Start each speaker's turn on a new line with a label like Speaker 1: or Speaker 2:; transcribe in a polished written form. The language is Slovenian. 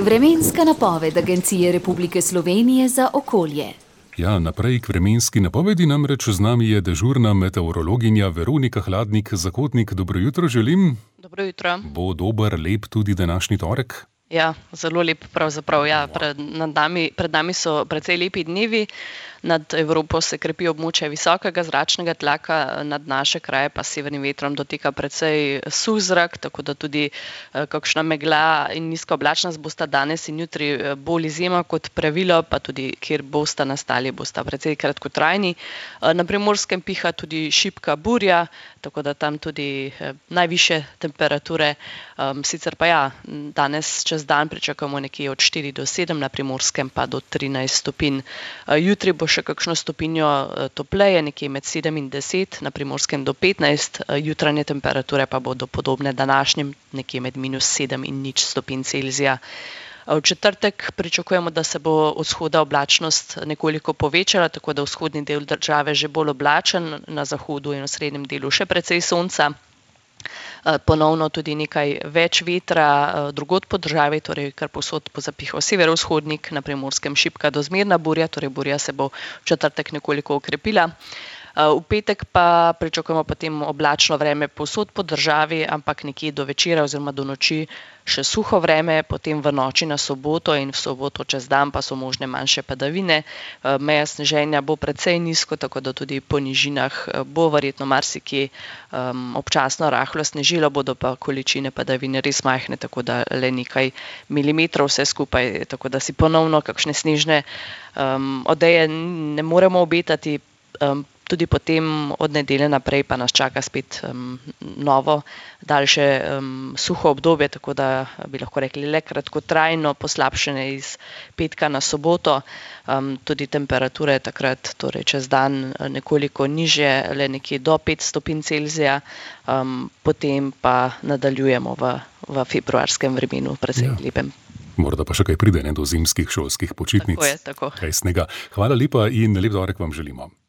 Speaker 1: Vremenska napoved Agencije Republike Slovenije za okolje.
Speaker 2: Ja, naprej k vremenski napovedi, namreč z nami je dežurna meteorologinja Veronika Hladnik-Zakotnik. Dobro jutro želim.
Speaker 3: Dobro jutro.
Speaker 2: Bo dober, lep tudi današnji torek?
Speaker 3: Ja, zelo lep pravzaprav. Ja, pred nami so precej lepi dnevi. Nad Evropo se krepi območje visokega zračnega tlaka, nad naše kraje pa s severnim vetrom doteka precej suh zrak, tako da tudi kakšna megla in nizka oblačnost bosta danes in jutri bolj izjema kot pravilo, pa tudi kjer bosta nastali, bosta precej kratkotrajni. Na Primorskem piha tudi šibka burja, tako da tam tudi najvišje temperature. Sicer pa ja, danes čez dan pričakujemo nekje od 4 do 7, na Primorskem pa do 13 stopinj. Jutri bo še kakšno stopinjo topleje, nekje med 7 in 10, na Primorskem do 15, jutranje temperature pa bodo podobne današnjim, nekje med -7 in 0 stopinj Celzija. V četrtek pričakujemo, da se bo od vzhoda oblačnost nekoliko povečala, tako da vzhodni del države že bolj oblačen, na zahodu in v srednjem delu še precej sonca. Ponovno tudi nekaj več vetra drugod po državi, torej kar povsod bo zapihal severovzhodnik, na Primorskem šibka do zmerna burja, torej burja se bo v četrtek nekoliko okrepila. V petek pa pričakujemo potem oblačno vreme povsod po državi, ampak nekje do večera oziroma do noči še suho vreme, potem v noči na soboto in v soboto čez dan pa so možne manjše padavine. Meja sneženja bo precej nizko, tako da tudi po nižinah bo verjetno marsikje občasno rahlo snežilo, bodo pa količine padavine res majhne, tako da le nekaj milimetrov vse skupaj, tako da si ponovno kakšne snežne odeje ne moremo obetati. Tudi potem od nedelje naprej pa nas čaka spet novo, daljše suho obdobje, tako da bi lahko rekli le kratkotrajno poslabšanje iz petka na soboto. Tudi temperature takrat, torej čez dan, nekoliko nižje, le nekje do 5 stopinj Celzija, potem pa nadaljujemo v februarskem vremenu, precej lepem.
Speaker 2: Morda pa še kaj pride do zimskih šolskih počitnic.
Speaker 3: Tako je, tako.
Speaker 2: Kaj snega. Hvala lepa in lep torek vam želimo.